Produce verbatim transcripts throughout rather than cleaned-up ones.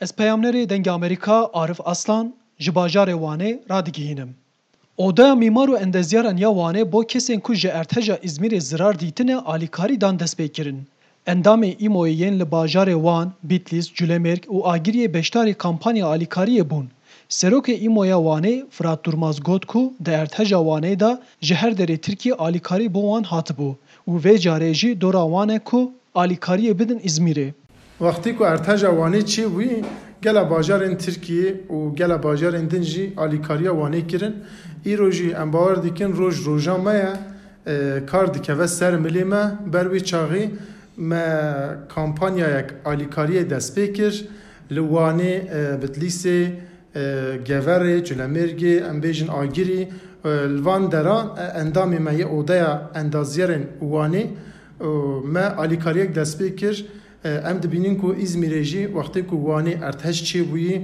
Ez peyamnerê Dengê Amerîka Arif Aslan ji bajarê Wanê radigihînim. Odeya Mîmar û Endezyaran ya Wanê bo kesên ku ji erdheja Îzmîrê zirar dîtine alîkarî dan destpêkirin. Endamê Îmoyê yên li bajarê Wan, Bitlîs, Culemêrg û Agiriyê beşdarî kampanya alîkariyê bûn. Serokê Îmoya Wanê Firat Durmaz got ku di erdheja Wanê de ji her derê Tirkiyê alîkarî bo wan hatibû û vê carê jî dora wan e ku alîkariyê bidin Îzmîrê. Wextê ku erdheja Wanê çêbûyî, gela bajarên Tirkiyê û gela bajarên din jî alîkariya Wanê kirin. Îro jî em bawer dikin roj roja me ye, e, kar dikeve ser milê me. Ber wê çaxê me kampanyayek alîkariyê dest pê kir. Li Wanê, e, Bitlîsê, e, Geverê, Culemêrgê, em bêjin Agirî, e, li van deran, e, endamê me yê Odeya Endazyerên Wanê, e, me alîkariyek dest pê kir. E, em dibînin ku Îzmîrê jî wextê ku Wanê erdhej çêbûyî,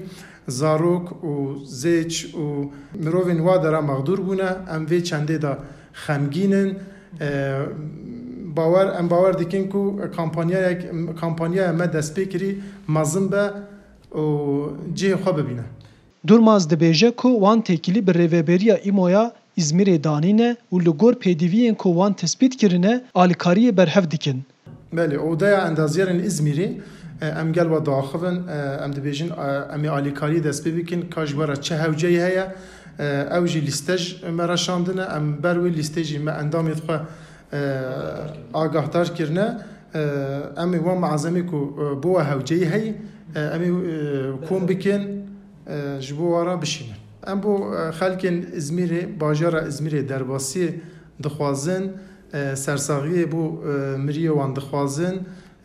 zarok û zêç û mirovên wa dera mexdûr bûne, em vê çendê de xemgîn in. E, bawer, em bawer dikin ku kampanyayek, kampanyaya me dest pê kirî mezin be û cihê xwe bibîne. Durmaz dibêje ku wan têkilî bi rêveberiya Îmoya Îzmîrê danîne û li gor pêdiviyên ku wan tespît kirine, alîkariyê berhev dikin. Belê, Odeya Endazyerên Îzmîrê, e, em gel we diaxivin, e, em dibêjin, e, em ê alîkariyê dest pê bikin, ka ji we re çi hewceyî heye, e, ew jî lîste ji me re şandine, em ber wê lîstê jî me endamê xwe, e, agahdar kirine. E, em ê wan malzemê ku, e, bo we hewceyî heyî, e, em ê, e, kom bikin, e, ji bo we re bişînin. Em bo, e, xelkên Îzmîrê, bajara Îzmîrê derbasiyê dixwazin, e, sersaxiyê bo, e, miriyê wan dixwazin,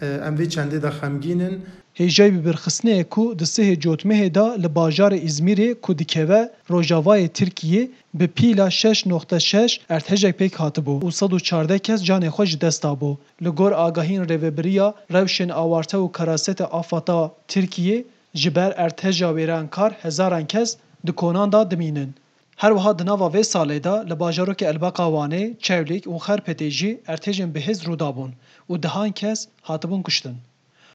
e, em vê çendê de xemgîn in. Hêjayî bibirxistinê ku di sihê cotmehê de li bajarê Îzmîrê ku dikeve rojavayê Tirkiyê, bi pîla şeş noqte şeş erdhejek pêk hatibû û sed û çardeh kes canê xwe ji dest dabû. Li gor agahiyên Rêveberiya Rewşên Awarte û Karasete Afata Tirkiyê, ji ber erdheja wêrankar hezaran kes di konan de dimînin. Her wiha di nava vê salê de li bajarokê Elbeqa Wanê, Çewlîg û Xerpêtê jî erdhejên bihêz rû dabûn û dehan kes hatibûn kuştin.